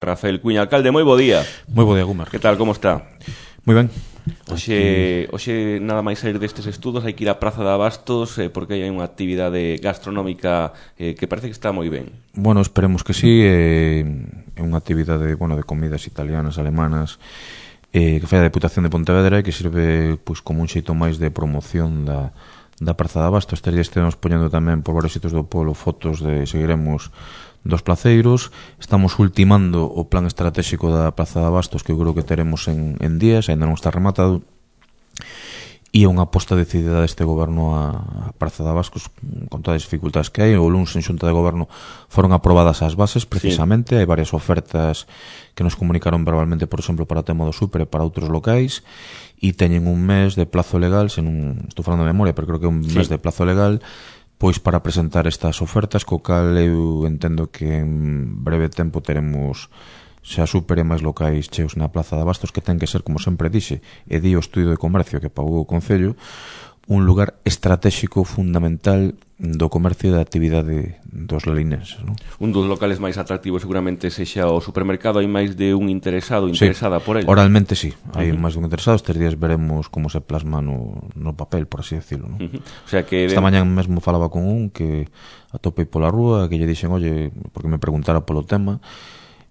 Rafael Cuña, alcalde, moi bo día. Moi bo día, Gumar. Que tal, como está? Moi ben. Hoxe nada máis sair destes estudos hai que ir á Praza de Abastos porque hai unha actividade gastronómica que parece que está moi ben. Bueno, esperemos que sí. É unha actividade de comidas italianas, alemanas, que fai a Deputación de Pontevedra e que sirve como un xeito máis de promoción da Praza de Abastos. Estes días estivemos poñendo tamén por varios sitios do polo fotos de seguiremos dos placeiros. Estamos ultimando o plan estratégico da Praza de Abastos, que eu creo que teremos en días, ainda non está rematado, e é unha aposta decidida deste goberno a Praza de Abastos con todas as dificultades que hai. O luns en xunta de goberno foron aprobadas as bases, precisamente, sí. Hai varias ofertas que nos comunicaron verbalmente, por exemplo, para o tema do Super e para outros locais, e teñen un mes de plazo legal, estou falando de memoria, pero creo que é un mes de plazo legal, pois para presentar estas ofertas, co cal eu entendo que en breve tempo teremos xa Super e máis locais cheos na Praza de Abastos, que ten que ser, como sempre dixe, e di o Estudio de Comercio que pagou o Concello, un lugar estratégico fundamental do comercio e da actividade dos lalinenses, non? Un dos locales máis atractivos seguramente sexa o supermercado. Hai máis de un interesada por ele. Oralmente sí, hai máis de un interesado. Estes días veremos como se plasma no papel, por así decirlo, non? O sea que esta mañá mesmo falaba con un que atopei pola rúa, que lle dixen, oye, porque me preguntara polo tema,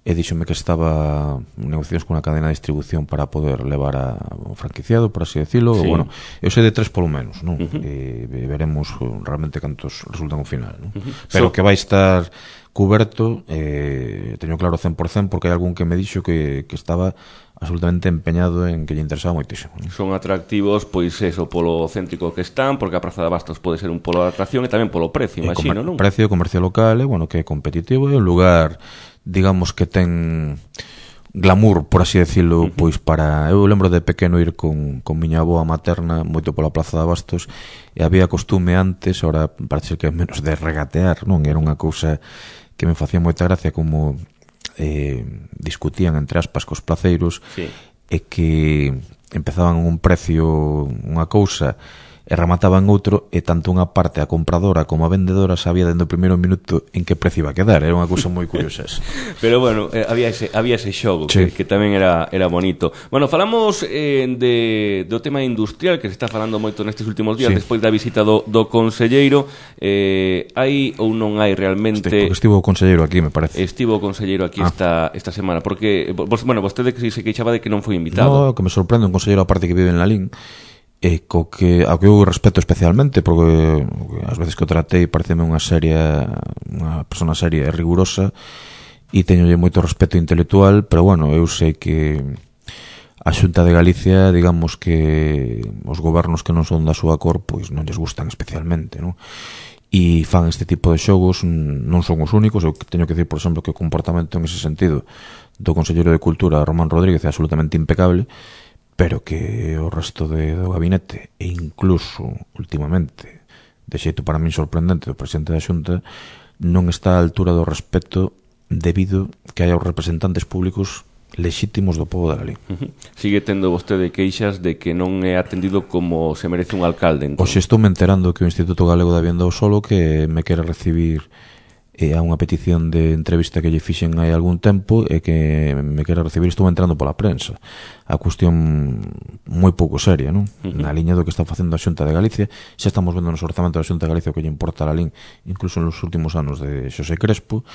e díxome que estaba en negociacións con unha cadena de distribución para poder levar ao franquiciado, por así decirlo. Sí. Bueno, eu sei de 3 polo menos, non? E veremos realmente cantos resultan ao final, non? Pero que vai estar cuberto, teño claro 100%, porque hai algún que me dixo que estaba absolutamente empeñado en que lle interesaba moitísimo, non? Son atractivos, pois eso, polo céntrico que están, porque a Praza de Abastos pode ser un polo de atracción e tamén polo precio, imagino, non? Precio, comercio local, que é competitivo, é un lugar, digamos, que ten glamour, por así decirlo, pois para... Eu lembro de pequeno ir con miña avoa materna moito pola Praza de Abastos, e había costume antes, ahora parece que é menos, de regatear, non? Era unha cousa que me facía moita gracia, como discutían entre aspas cos placeiros, sí. E que empezaban un precio unha cousa e remataban outro, e tanto unha parte, a compradora como a vendedora, sabía dende o primeiro minuto en que precio iba a quedar. Era unha cousa moi curiosa. Pero bueno, había ese xogo, sí. que tamén era bonito. Bueno, falamos do tema industrial, que se está falando moito nestes últimos días, sí. Despois da visita do conselleiro. Hai ou non hai realmente... Porque estivo o conselleiro aquí, me parece. Estivo o conselleiro aquí esta semana, porque, vostede que se queixaba de que non foi invitado. No, que me sorprende un conselleiro aparte que vive en Lalín, e ao que eu respeto especialmente, porque as veces que o tratei pareceme unha persona seria e rigurosa, e teñolle moito respeto intelectual, pero bueno, eu sei que a Xunta de Galicia, digamos que os gobernos que non son da súa cor, pois non lles gustan especialmente, non? E fan este tipo de xogos, non son os únicos. Eu teño que decir, por exemplo, que o comportamento en ese sentido do conselleiro de Cultura, Román Rodríguez, é absolutamente impecable, pero que o resto do gabinete, e incluso últimamente de xeito para min sorprendente do presidente da Xunta, non está á altura do respeto debido que hai aos representantes públicos lexítimos do pobo da Lalín. Sigue tendo vostede queixas de que non é atendido como se merece un alcalde, entón. Oxe, estou me enterando que o Instituto Galego da Vivienda ao Solo que me quere recibir a unha petición de entrevista que lle fixen hai algún tempo, e que me quere recibir. Estou entrando pola prensa. A cuestión moi pouco seria, non? Na liña do que está facendo a Xunta de Galicia. Xa estamos vendo nos orzamentos da Xunta de Galicia o que lle importa a Lalín, incluso nos últimos anos de Xosé Crespo.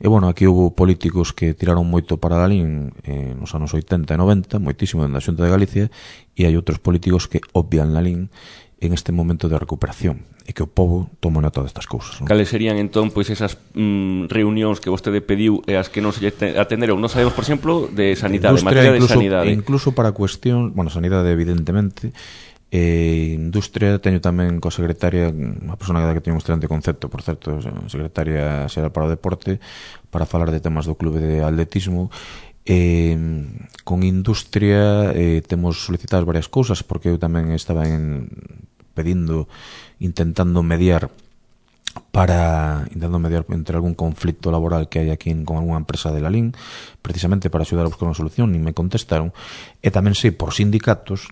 E bueno, aquí houve políticos que tiraron moito para Lalín nos anos 80 e 90, moitísimo dentro da Xunta de Galicia, e hai outros políticos que obvian Lalín en este momento de recuperación, e que o povo toma nota destas cousas, non? Cales serían entón pois esas reunións que vostede pediu e as que non se atenderon? Non sabemos, por exemplo, de sanidade, materia de sanidade. Incluso para cuestión, sanidade evidentemente, industria, teño tamén coa secretaria, unha persona que teño un excelente concepto, por certo, secretaria xeral para o deporte, para falar de temas do clube de atletismo. Con industria temos solicitadas varias cousas, porque eu tamén estaba intentando mediar entre algún conflicto laboral que hai aquí con algunha empresa de Lalín, precisamente para axudar a buscar unha solución, e me contestaron. E tamén sei por sindicatos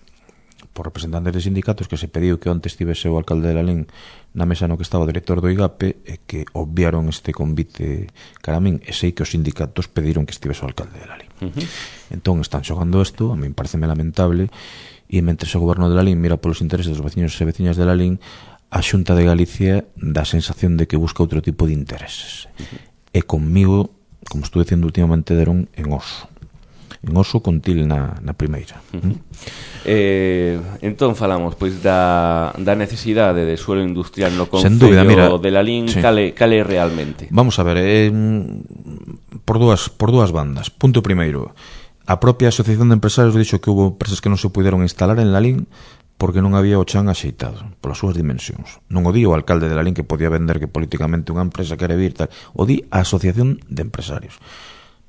por representantes de sindicatos, que se pediu que onte estivese o alcalde de Lalín na mesa no que estaba o director do IGAPE, e que obviaron este convite cara a min, e sei que os sindicatos pediron que estivese o alcalde de Lalín. Entón están xogando isto, a min pareceme lamentable, e mentre o goberno de Lalín mira polos intereses dos veciños e veciñas de Lalín, a Xunta de Galicia dá a sensación de que busca outro tipo de intereses. E conmigo, como estou dicindo últimamente, deron en oso con til na primeira. Entón falamos pois da necesidade de suelo industrial no concello de Lalín, sí. Cale realmente? Vamos a ver, por dúas bandas. Punto primeiro, a propia Asociación de Empresarios dixo que houve empresas que non se puderon instalar en Lalín porque non había o chan axeitado polas súas dimensións. Non o di o alcalde de Lalín, que podía vender que políticamente unha empresa quere vir, tal. O di a Asociación de Empresarios.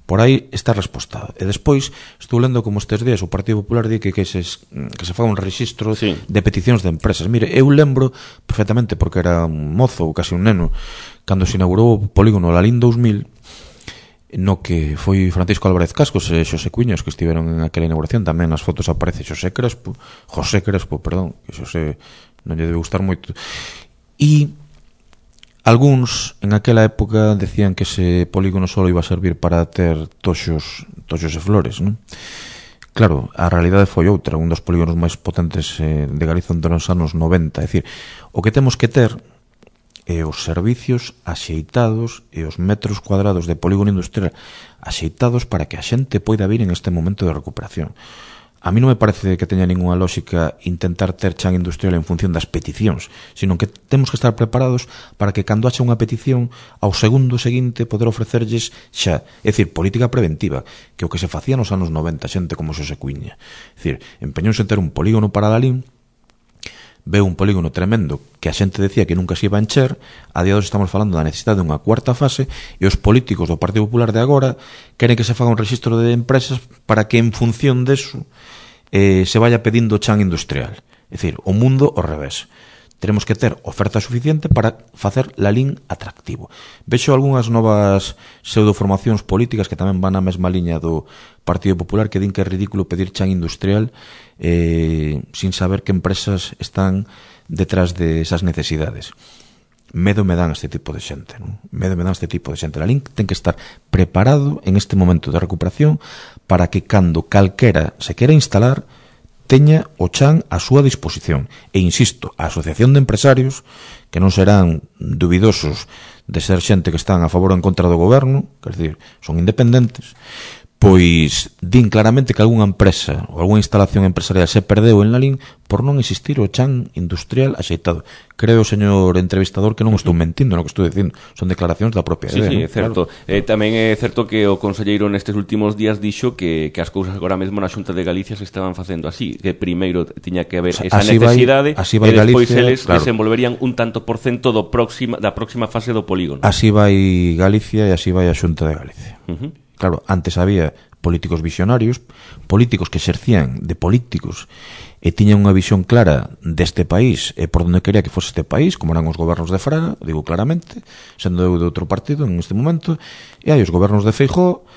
Por aí está respostado. E despois estou lendo como estes días o Partido Popular di que se faga un rexistro, sí, de peticións de empresas. Mire, eu lembro perfectamente, porque era un mozo ou casi un neno, cando se inaugurou o polígono Lalín 2000, no que foi Francisco Álvarez Cascos e Xosé Cuiños que estiveron en aquela inauguración. Tamén nas fotos aparece José Crespo, que Xosé non lle debe gustar moito. E algúns en aquela época decían que ese polígono só iba a servir para ter toxos e flores, non? Claro, a realidade foi outra, un dos polígonos máis potentes de Galicia entre os anos 90. É dicir, o que temos que ter é os servicios axeitados e os metros cuadrados de polígono industrial axeitados para que a xente poida vir en este momento de recuperación. A mí non me parece que teña ninguna lógica intentar ter chan industrial en función das peticións, sino que temos que estar preparados para que cando haxa unha petición, ao segundo seguinte poder ofrecerlles xa, é dicir, política preventiva, que o que se facía nos anos 90, xente como Xosé Cuiña. É dicir, empeñouse en ter un polígono para Lalín, veu un polígono tremendo que a xente decía que nunca se iba a encher. A día de hoxe estamos falando da necesidade dunha cuarta fase, e os políticos do Partido Popular de agora queren que se faga un rexistro de empresas para que en función deso se vaya pedindo chan industrial. É dicir, o mundo ao revés. Teremos que ter oferta suficiente para facer Lalín atractivo. Vexo algunhas novas pseudoformacións políticas que tamén van na mesma liña do Partido Popular, que din que é ridículo pedir chan industrial sin saber que empresas están detrás de esas necesidades. Medo me dan este tipo de xente, non? Lalín ten que estar preparado en este momento de recuperación para que cando calquera se quera instalar teña o chan a súa disposición. E insisto, a Asociación de Empresarios, que non serán dubidosos de ser xente que están a favor ou en contra do goberno, quer dizer, son independentes, pois din claramente que algunha empresa ou algunha instalación empresarial se perdeu en Lalín por non existir o chan industrial axeitado. Creo, señor entrevistador, que non estou mentindo no que estou dicindo, son declaracións da propia idea. Sí, ¿no? É certo. Claro. Tamén é certo que o conselleiro nestes últimos días dixo que as cousas agora mesmo na Xunta de Galicia se estaban facendo así, que primeiro tiña que haber esa necesidade e despois eles desenvolverían un tanto por cento da próxima fase do polígono. Así vai Galicia e así vai a Xunta de Galicia. Claro, antes había políticos visionarios, políticos que exercían de políticos e tiñan unha visión clara deste país e por onde quería que fose este país, como eran os gobernos de Fraga, digo claramente, sendo eu de outro partido en este momento, e hai os gobernos de Feijóo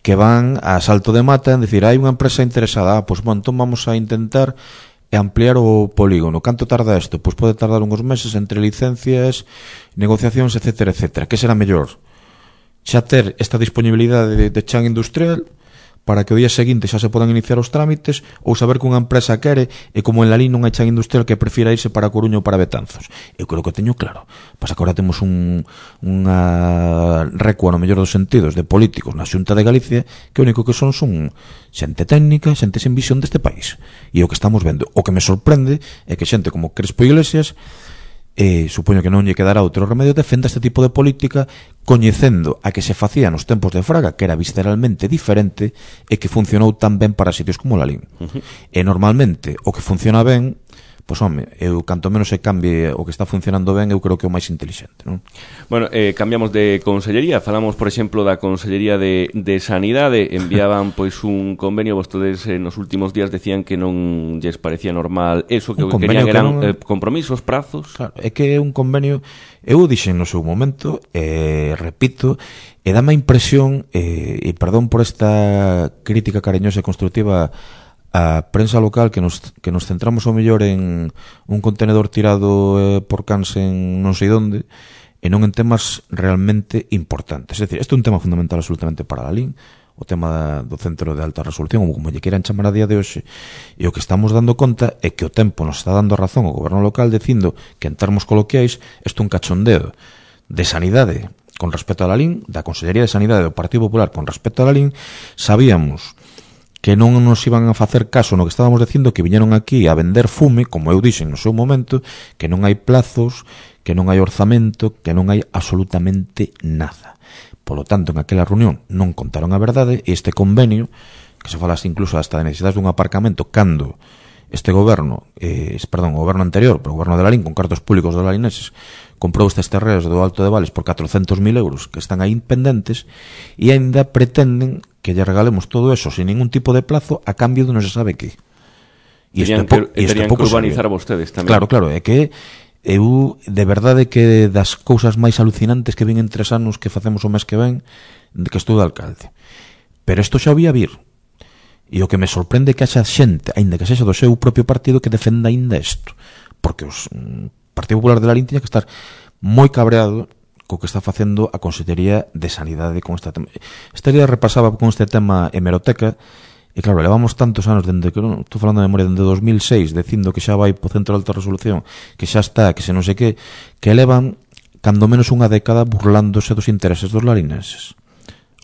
que van a salto de mata en decir, hai unha empresa interesada, pois bon, entón vamos a intentar ampliar o polígono. Canto tarda isto? Pois pode tardar uns meses entre licencias, negociacións, etcétera, etcétera. Que será mellor? Xa ter esta disponibilidade de chan industrial para que o día seguinte xa se podan iniciar os trámites, ou saber que unha empresa quere e como en Lalín non hai chan industrial que prefira irse para Coruña ou para Betanzos. Eu creo que teño claro. Pasa que agora temos unha recua, no mellor dos sentidos, de políticos na Xunta de Galicia que o único que son xente técnica, xente sen visión deste país. E o que estamos vendo, o que me sorprende é que xente como Crespo Iglesias, supoño que non lle quedará outro remedio, defenda este tipo de política coñecendo a que se facía nos tempos de Fraga, que era visceralmente diferente e que funcionou tan ben para sitios como Lalín. E normalmente o que funciona ben, pois home, eu canto menos se cambie o que está funcionando ben, eu creo que é o máis intelixente, non? Bueno, cambiamos de consellería, falamos, por exemplo, da Consellería de Sanidade, enviaban pois un convenio, vostedes nos últimos días decían que non lles parecía normal eso, que o que querían eran compromisos, prazos. Claro, é que é un convenio, eu dixen no seu momento, repito, e dame a impresión, e perdón por esta crítica cariñosa e constructiva a prensa local que nos centramos ao mellor en un contenedor tirado por cans en non sei onde e non en temas realmente importantes. É dicir, este é un tema fundamental absolutamente para a LIN, o tema do centro de alta resolución, ou como lle queiran chamar a día de hoxe, e o que estamos dando conta é que o tempo nos está dando razón ao goberno local dicindo que en termos coloquiais isto é un cachondeo de sanidade con respecto a la LIN, da Consellería de Sanidade do Partido Popular con respecto a la LIN. Sabíamos que non nos iban a facer caso no que estábamos dicindo, que viñeron aquí a vender fume, como eu dixen no seu momento, que non hai plazos, que non hai orzamento, que non hai absolutamente nada. Polo tanto, en aquela reunión non contaron a verdade, e este convenio, que se falase incluso hasta de necesidades dun aparcamento, cando este goberno, o goberno anterior, pero o goberno de la LIN, con cartos públicos dos lalineses, comprou estes terreos do Alto de Vales por 400.000 euros que están aí pendentes, e ainda pretenden que lle regalemos todo eso sin ningún tipo de plazo a cambio de non se sabe que. Terían que urbanizar vostedes tamén. Claro, é que eu de verdade que das cousas máis alucinantes que vin en 3 anos que facemos o mes que ven de que estou de alcalde. Pero isto xa había vir. E o que me sorprende é que haxa xente, aínda que sexa do seu propio partido, que defenda aínda isto. Porque o Partido Popular de la LIN tiña que estar moi cabreado co que está facendo a Consellería de Sanidade con este tema. Este día repasaba con este tema hemeroteca, e claro, levamos tantos anos dende que, non estou falando de memoria, dende 2006, dicindo que xa vai po centro de alta resolución, que xa está, que se non sei que levan cando menos unha década burlándose dos intereses dos larinenses.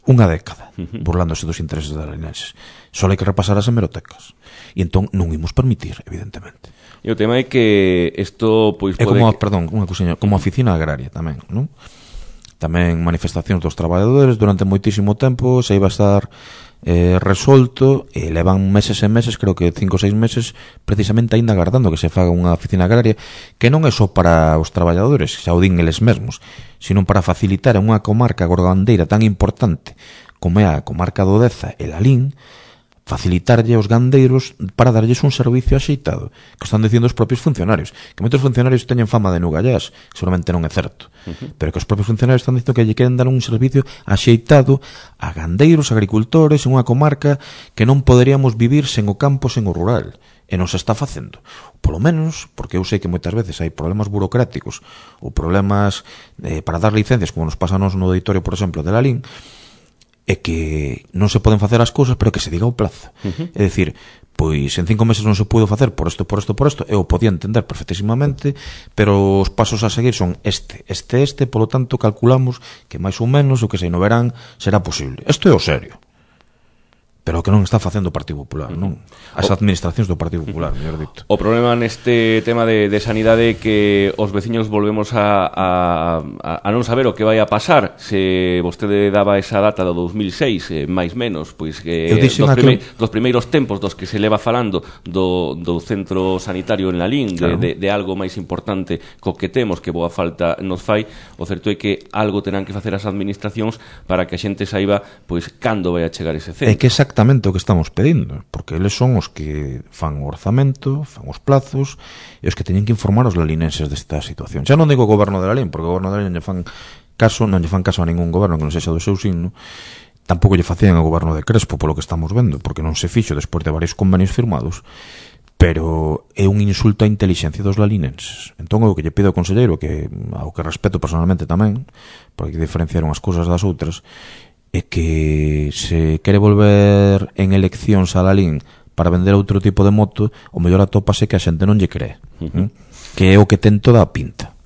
Unha década burlándose dos intereses dos larinenses. Só hai que repasar as hemerotecas. E entón non imos permitir, evidentemente. E o tema é que isto pois é como, unha cousiña, como oficina agraria tamén, non? Tamén manifestacións dos traballadores durante moitísimo tempo, se iba a estar resolto, e levan meses e meses, creo que 5 ou 6 meses, precisamente aínda agardando que se faga unha oficina agraria, que non é só para os traballadores, xa o din eles mesmos, sino para facilitar a unha comarca gorgandeira tan importante como é a comarca do Deza e la LIN, facilitarlle aos gandeiros para darlles un servicio axeitado, que están dicindo os propios funcionarios, que moitos funcionarios teñen fama de nugallás, seguramente non é certo, pero que os propios funcionarios están dicindo que lle queren dar un servicio axeitado a gandeiros, agricultores, en unha comarca que non poderíamos vivir sen o campo, sen o rural, e non se está facendo. Polo menos, porque eu sei que moitas veces hai problemas burocráticos ou problemas para dar licencias, como nos pasa nos no auditorio, por exemplo, de la LIN, é que non se poden facer as cousas, pero que se diga o plazo. É dicir, pois en 5 meses non se pudo facer por isto, eu podía entender perfectísimamente, pero os pasos a seguir son este, polo tanto calculamos que máis ou menos o que se no verán será posible. Isto é o serio. Pero o que non está facendo o Partido Popular, non? As administracións do Partido Popular, mellor dito. O problema neste tema de sanidade é que os veciños volvemos a non saber o que vai a pasar. Se vostede daba esa data do 2006, máis menos, pois que dos primeiros tempos dos que se leva falando do centro sanitario en la LIN, claro, de algo máis importante co que temos, que boa falta nos fai, o certo é que algo terán que facer as administracións para que a xente saiba pois cando vai a chegar ese centro. É que exactamente o que estamos pedindo, porque eles son os que fan o orzamento, fan os plazos, e os que teñen que informar os lalinenses desta situación. Xa non digo o goberno de la LIN, porque o goberno de la LIN non lle fan caso a ningún goberno que non sexa do seu signo, tampouco lle facían ao goberno de Crespo, polo que estamos vendo, porque non se fixo despois de varios convenios firmados, pero é un insulto á intelixencia dos lalinenses. Entón, o que lle pido ao conselleiro, que ao que respeto personalmente tamén, porque diferenciaron as cousas das outras, é que se quere volver en eleccións a la LIN para vender outro tipo de moto, o mellor atópase que a xente non lle cree, que é o que ten toda a pinta.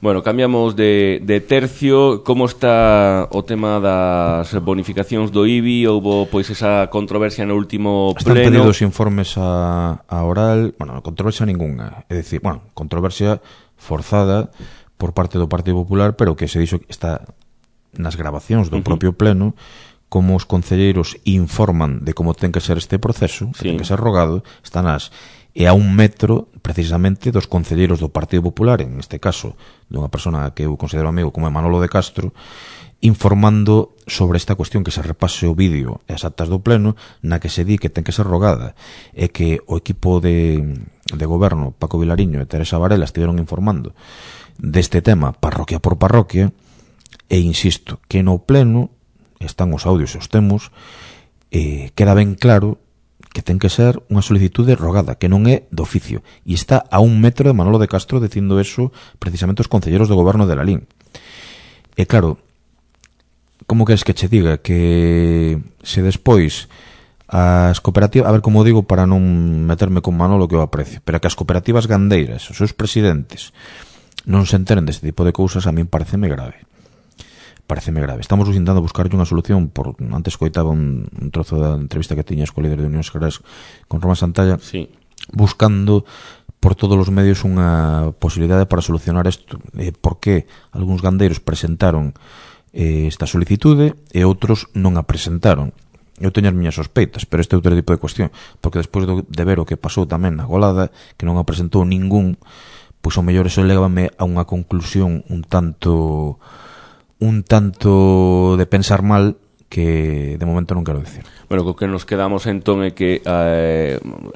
Bueno, cambiamos de tercio. Como está o tema das bonificacións do IBI? Houbo pois esa controversia no último pleno. Están pedidos informes a oral. Bueno, controversia ninguna. É dicir, controversia forzada por parte do Partido Popular, pero que se dixo que está nas grabacións do propio pleno, como os concelleiros informan de como ten que ser este proceso, que ten que ser rogado, están e a 1 metro, precisamente, dos concelleiros do Partido Popular, en este caso, dunha persona que eu considero amigo como é Manolo de Castro, informando sobre esta cuestión, que se repase o vídeo e as actas do pleno, na que se di que ten que ser rogada, e que o equipo de goberno, Paco Vilariño e Teresa Varela, estiveron informando deste tema parroquia por parroquia. E insisto, que no pleno están os audios e os temos, queda ben claro que ten que ser unha solicitude rogada, que non é de oficio, e está a 1 metro de Manolo de Castro dicindo eso precisamente os concelleros do goberno de Lalín. E claro, como queres que che diga que se despois as cooperativas, a ver como digo para non meterme con Manolo que eu aprecio, pero que as cooperativas gandeiras, os seus presidentes non se enteren deste tipo de cousas, a min pareceme grave. Estamos intentando buscarlle unha solución. Antes coitaba un trozo da entrevista que tiñas co líder de Unións Gerais con Roma Santalla, sí, buscando por todos os medios unha posibilidade para solucionar isto. Por que algúns gandeiros presentaron esta solicitude e outros non a presentaron? Eu teño as miñas sospeitas, pero este é outro tipo de cuestión, porque despois de ver o que pasou tamén na Golada, que non a presentou ningún, pois ao mellor eso levame a unha conclusión un tanto de pensar mal que de momento non quero dicir. Bueno, co que nos quedamos entón é que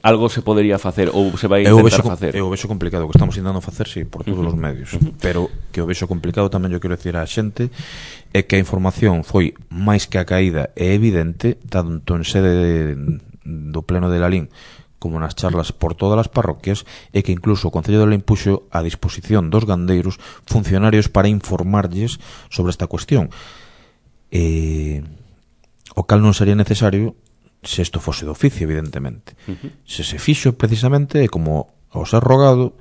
algo se podería facer ou se vai intentar facer. Eu vexo complicado, o que estamos intentando facer, sí, por todos os medios, pero que o vexo complicado tamén eu quero dicir á xente é que a información foi máis que a caída é evidente, tanto en sede do pleno de Lalín como nas charlas por todas as parroquias, e que incluso o Concello de Lalín puxo a disposición dos gandeiros funcionarios para informarlles sobre esta cuestión. O cal non sería necesario se isto fose de oficio, evidentemente. Se se fixo precisamente, e como ao ser rogado,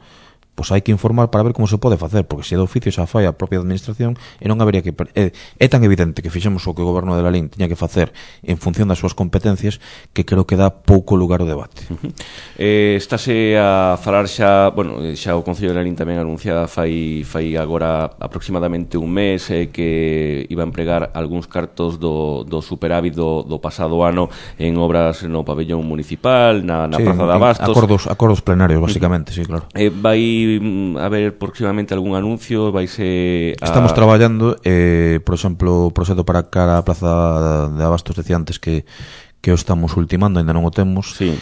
pois hai que informar para ver como se pode facer, porque se é de oficio xa fai a propia administración e non habería que... É tan evidente que fixemos o que o goberno de Lalín tiña que facer en función das súas competencias que creo que dá pouco lugar ao debate. Estáse a falar xa, bueno, xa o Concello de Lalín tamén anunciada fai agora aproximadamente un mes que iba a empregar algúns cartos do superávit do pasado ano en obras no pabellón municipal, na Praza de Abastos. Acordos plenarios, basicamente, sí, claro. Vai a ver próximamente algún anuncio? Estamos traballando, por exemplo, o proxecto para cara a Praza de Abastos, decía antes que o estamos ultimando, ainda non o temos, sí.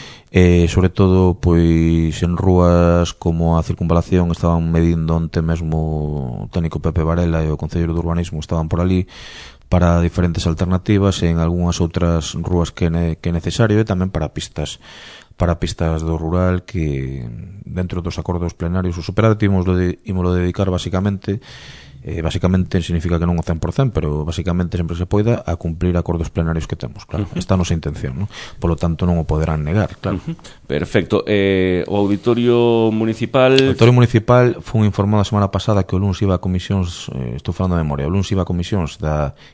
Sobre todo pois en rúas como a Circunvalación estaban medindo onte mesmo o técnico Pepe Varela e o Concelleiro de Urbanismo estaban por ali para diferentes alternativas, en algunhas outras rúas que é necesario, e tamén para pistas do rural, que dentro dos acordos plenarios o superávit ímolo dedicar basicamente significa que non o 100%, pero basicamente sempre se poida a cumplir acordos plenarios que temos, claro. Esta é a nosa intención, ¿no? Polo tanto non o poderán negar, claro. Perfecto. O Auditorio Municipal foi informado a semana pasada que o luns iba a comisións, estou falando de memoria, o luns iba a comisións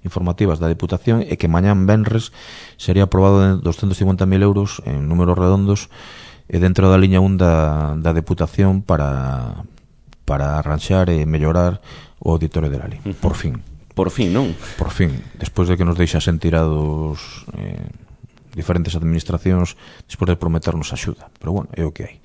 informativas da Deputación, e que mañán venres sería aprobado de 250.000 euros en números redondos dentro da liña 1 da Deputación para arranxar e mellorar o Auditorio de Lalín. Por fin, non? Por fin, despois de que nos deixasen tirados diferentes administracións despois de prometernos axuda, pero bueno, é o que hai.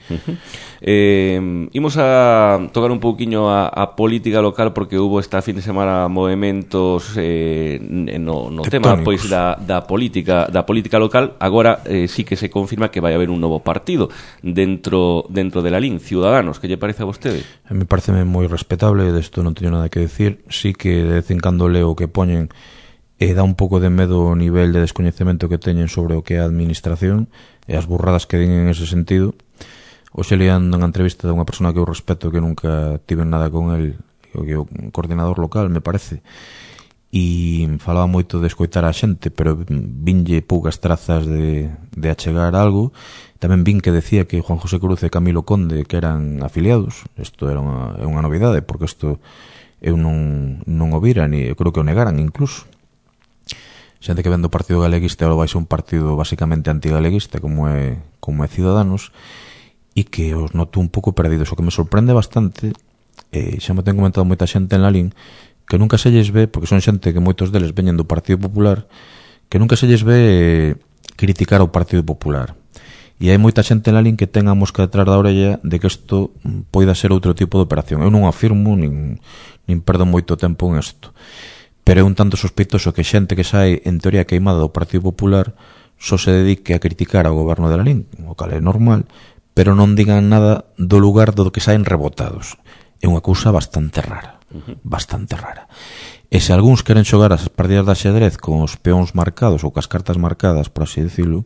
Imos a tocar un pouquiño a política local, porque hubo esta fin de semana movementos no tema pois da política local. Agora sí que se confirma que vai haber un novo partido dentro de Lalín, Ciudadanos. Que lle parece a vostede? Me parece moi respetable, desto non teño nada que decir. Sí que de vez en cando leo o que poñen e dá un pouco de medo o nivel de descoñecemento que teñen sobre o que é a administración e as burradas que din en ese sentido. Hoxe leando unha entrevista de unha persona que eu respeto, que nunca tive nada con el, que é o coordinador local, me parece, e falaba moito de escoitar a xente, pero vinlle poucas trazas de achegar algo. Tamén vin que decía que Juan José Cruz e Camilo Conde que eran afiliados. Isto era unha novidade, porque isto eu non o vira, ni eu creo que o negaran incluso. Xente que ven do Partido Galeguista vai ser un partido basicamente antigaleguista como é Ciudadanos, e que os noto un pouco perdidos. O que me sorprende bastante, xa me ten comentado moita xente en Lalín, que nunca se lles ve, porque son xente que moitos deles veñen do Partido Popular, que nunca se lles ve criticar ao Partido Popular. E hai moita xente en Lalín que ten a mosca detrás da orella de que isto poida ser outro tipo de operación. Eu non afirmo, nin perdo moito tempo en isto, pero é un tanto sospeitoso que xente que sae en teoría queimada do Partido Popular só se dedique a criticar ao goberno de Lalín, o cal é normal, pero non digan nada do lugar do que saen rebotados. É unha cousa bastante rara, bastante rara. E se algúns queren xogar as partidas de xadrez con os peóns marcados ou cas cartas marcadas, por así decirlo,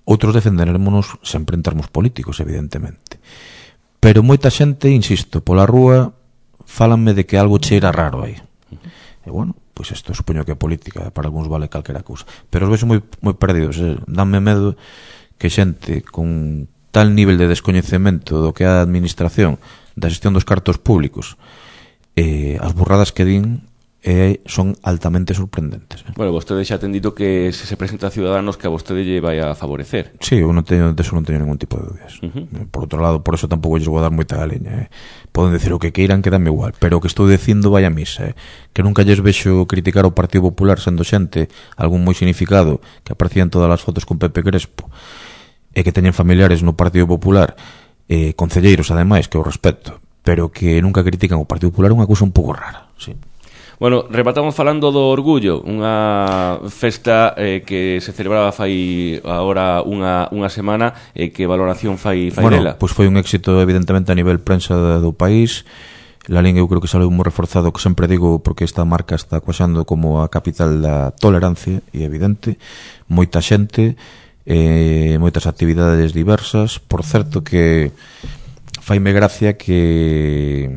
outros defenderémonos sempre en termos políticos, evidentemente. Pero moita xente, insisto, pola rúa fálanme de que algo cheira raro aí. E bueno, pois isto supoño que é política, para algúns vale calquera cousa. Pero os vexo moi perdidos, danme medo que xente con tal nivel de descoñecemento do que é a administración, da xestión dos cartos públicos, as burradas que din son altamente sorprendentes. Bueno, vostede xa ten dito que se presenta a Ciudadanos que a vostede lle vai a favorecer. Sí, eu de eso non teño ningún tipo de dúbidas. Por outro lado, por eso tampouco lles vou dar moita galeña. Poden decir o que queiran, que dame igual, pero o que estou dicindo vai a misa. Que nunca lles vexo criticar o Partido Popular sendo xente, algún moi significado, que aparecían todas as fotos con Pepe Crespo, e que teñen familiares no Partido Popular, concelleiros ademais, que o respeto, pero que nunca critican o Partido Popular, é unha cousa un pouco rara, sí. Bueno, rematamos falando do Orgullo, unha festa que se celebraba fai agora unha semana, que valoración fai dela? Bueno, pois foi un éxito evidentemente a nivel prensa do país. Lalín eu creo que saleu moi reforzado, que sempre digo, porque esta marca está coaxando como a capital da tolerancia, e evidente, moita xente, moitas actividades diversas. Por certo que faime gracia que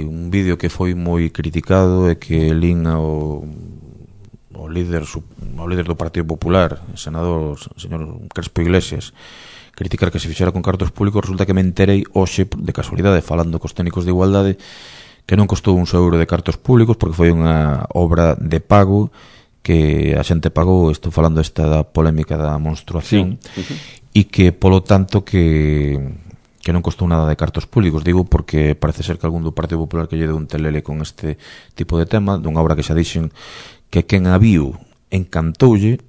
un vídeo que foi moi criticado e que lín ao líder do Partido Popular, o senador señor Crespo Iglesias, criticar que se fixera con cartos públicos. Resulta que me enterei hoxe, de casualidade, falando cos técnicos de igualdade, que non costou un euro de cartos públicos, porque foi unha obra de pago que a xente pagou. Estou falando esta da polémica da menstruación, e que, polo tanto, que non costou nada de cartos públicos. Digo porque parece ser que algún do Partido Popular que lle deu un telele con este tipo de tema, dunha obra que xa dixen que quen a viu encantoulle,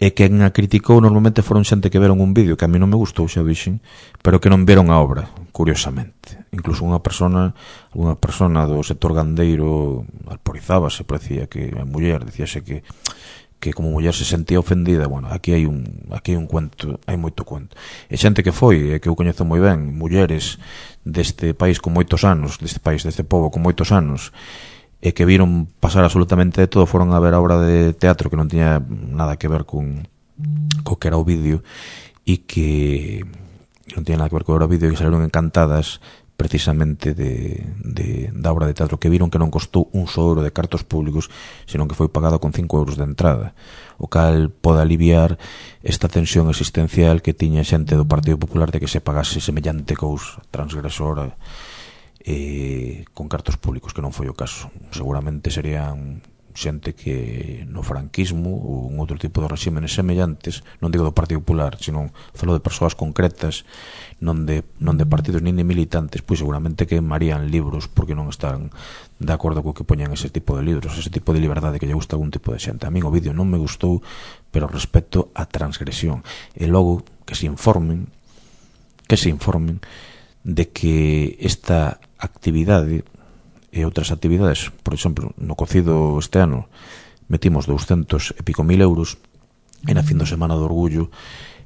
e quen a criticou normalmente foron xente que veron un vídeo que a mí non me gustou, xa dixen, pero que non veron a obra, curiosamente. Incluso unha persona do sector gandeiro alporizábase, parecía que a muller, dicíase que como muller se sentía ofendida. Bueno, aquí hai un cuento, hai moito cuento. E xente que foi, que eu coñezo moi ben, mulleres deste país con moitos anos, deste pobo con moitos anos, e que viron pasar absolutamente de todo, foron a ver a obra de teatro que non tiña nada que ver co que era o vídeo, e que non tiña nada que ver co que era o vídeo, e que salieron encantadas precisamente da obra de teatro, que viron que non costou un só euro de cartos públicos, senón que foi pagado con 5 euros de entrada, o cal pode aliviar esta tensión existencial que tiña xente do Partido Popular de que se pagase semellante cousa transgresora con cartos públicos, que non foi o caso. Seguramente serían xente que no franquismo ou un outro tipo de regímenes semellantes, non digo do Partido Popular, sino falo de persoas concretas, non de partidos nin de militantes, pois seguramente queimarían libros porque non están de acordo co que poñan ese tipo de libros, ese tipo de liberdade que lle gusta a algún tipo de xente. A min o vídeo non me gustou, pero respeto a transgresión, e logo que se informen de que esta actividade e outras actividades, por exemplo, no cocido este ano metimos 200 e pico mil euros, e na fin de semana do Orgullo,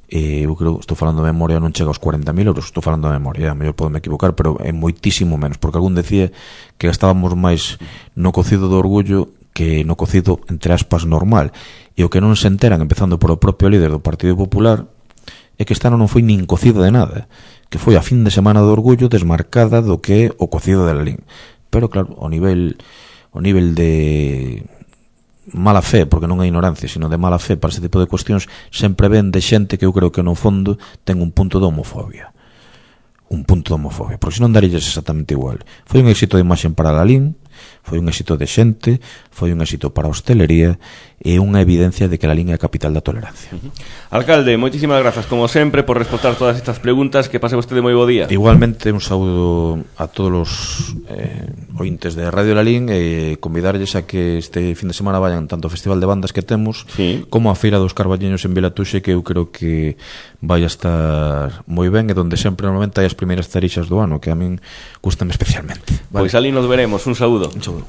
eu creo, estou falando de memoria, non chega aos 40.000 euros, estou falando de memoria, a mellor podeme equivocar, pero é moitísimo menos, porque algún decía que gastábamos máis no cocido do Orgullo que no cocido, entre aspas, normal, e o que non se enteran, empezando por o propio líder do Partido Popular, é que este ano non foi nin cocido de nada, que foi a fin de semana do Orgullo desmarcada do que é o cocido de Lalín. Pero claro, o nivel de mala fe, porque non é ignorancia, sino de mala fe para ese tipo de cuestións, sempre ven de xente que eu creo que no fondo ten un punto de homofobia, porque senón darilles exactamente igual. Foi un éxito de imaxen para Lalín, foi un éxito de xente, foi un éxito para a hostelería, e unha evidencia de que Lalín é a capital da tolerancia. Alcalde, moitísimas grazas como sempre por responder todas estas preguntas. Que pase vostede moi bo día. Igualmente, un saúdo a todos os ointes de Radio Lalín, e convidarlles a que este fin de semana vayan tanto ao Festival de Bandas que temos, como a Feira dos Carballiños en Vilatuxe, que eu creo que vai a estar moi ben, e donde sempre normalmente hai as primeiras tarixas do ano, que a min gustan especialmente. Pois ali nos veremos. Un saúdo. Un saúdo.